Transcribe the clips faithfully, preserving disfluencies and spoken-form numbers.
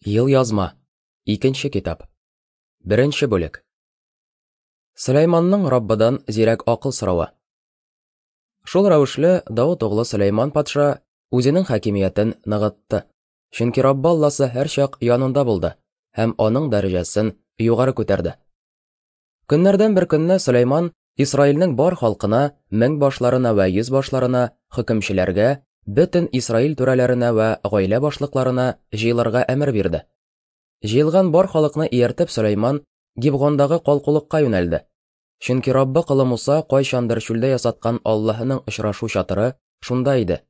Елъязма. Икенче китап. Беренче бүлек. Сөләйманның Раббыдан зирәк акыл соравы. Шул рәвешле Давыт углы Сөләйман патша үзенең хакимиятен ныгытты. Чөнки Раббы Алласы һәрчак янында булды һәм аның дәрәҗәсен югары күтәрде. Көннәрдән бер көнне Сөләйман Исраилнең бар халкына, мең башларына вә йөз башларына, хөкемчеләргә, бөтен Исраил түрәләренә вә гаилә башлыкларына җыелырга әмер бирде. Җыелган бар халыкны ияртеп Сөләйман Гибгондагы калкулыкка юнәлде. Чөнки Раббы колы Муса кайчандыр чүлдә ясаткан Аллаһының очрашу чатыры шунда иде.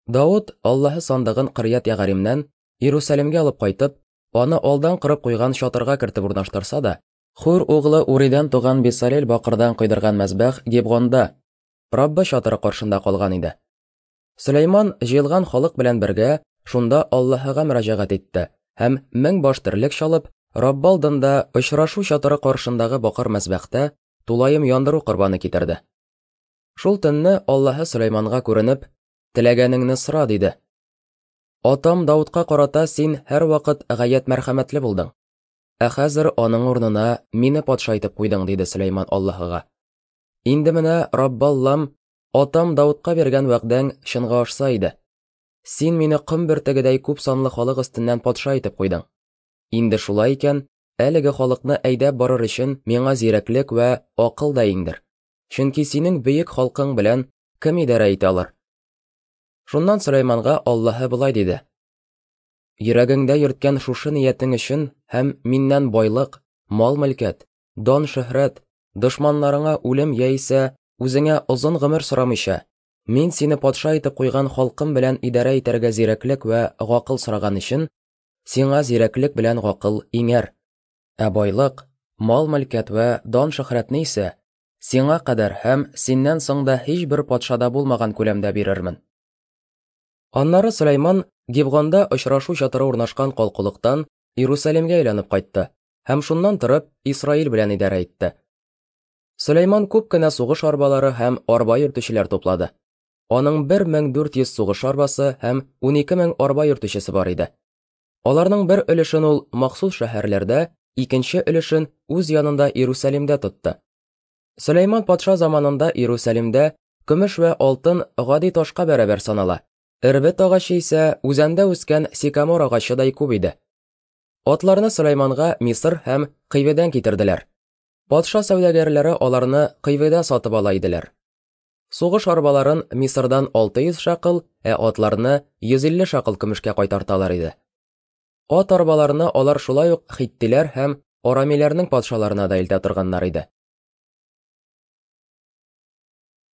Давыт Аллаһы сандыгын Кырьят Ягаримнән Иерусалимгә алып кайтып, аны алдан кырып куйган чатырга кертеп урнаштырса да, Хур углы Уридән туган Бесалел бакырдан койдырган мәзбәх Гибгонда, Раббы чатыры каршында калган иде. Сөләйман җыелган халык белән бергә шунда Аллаһыга мөрәҗәгать итте һәм мең баш терлек чалып, Раббы алдында очрашу чатыры каршындагы бакыр мәзбәхтә тулаем яндыру корбаны китерде. Шул төнне Аллаһы Сөләйманга күренеп, "Теләгәнеңне сора", диде. Атам Даудка карата син һәрвакыт гаять мәрхәмәтле булдың. Ә хәзер аның урынына мине патша итеп куйдың, диде Сөләйман Аллаһыга. Инде менә Раббы Аллам, атам Даудка биргән вәгъдәң чынга ашса иде. Син мине ком бөртегедәй күп санлы халык өстеннән патша итеп куйдың. Инде шулай икән, әлеге халыкны әйдәп барыр өчен миңа зирәклек вә акыл да иңдер. Чөнки синең бөек халкың белән кем идарә итә алыр? Шуннан Сөләйманга Аллаһы болай диде: Йөрәгеңдә йөрткән шушы ниятең өчен һәм миннән байлык, мал-мөлкәт, дан-шөһрәт, дошманнарыңа үлем яисә үзеңә озын гомер сорамыйча, мин сине патша итеп куйган халкым белән идарә итәргә зирәклек вә гакыл сораган өчен, сиңа зирәклек белән гакыл иңәр. Ә байлык, мал-мөлкәт вә дан-шөһрәтне исә сиңа кадәр һәм синнән соң да һичбер патшада булмаган күләмдә бирермен. Аннары Сөләйман Гибгонда очрашу чатыры урнашкан калкулыктан Иерусалимгә әйләнеп кайтты һәм шуннан торып Исраил белән идарә итте. Сөләйман күп кенә сугыш арбалары һәм арба йөртүчеләр туплады. Аның бер мең дүрт йөз сугыш арбасы һәм унике мең арба йөртүчесе бар иде. Аларның бер өлешен ул махсус шәһәрләрдә, икенче өлешен үз янында Иерусалимдә тотты. Сөләйман патша заманында Иерусалимдә көмеш вә алтын гади ташка бәрабәр санала. Эрбет агачы исә үзәндә үскән сикамор агачыдай күп иде. Атларны Сөләйманга Мисыр һәм Кыйведән китерделәр. Патша сәүдәгәрләре аларны Кыйведә сатып ала иделәр. Сугыш арбаларын Мисырдан алты йөз шакыл, ә атларны йөз илле шакыл көмешкә кайтарталар иде. Ат арбаларны алар шулай ук хиттиләр һәм арамиләрнең патшаларына да илтә торганнар иде.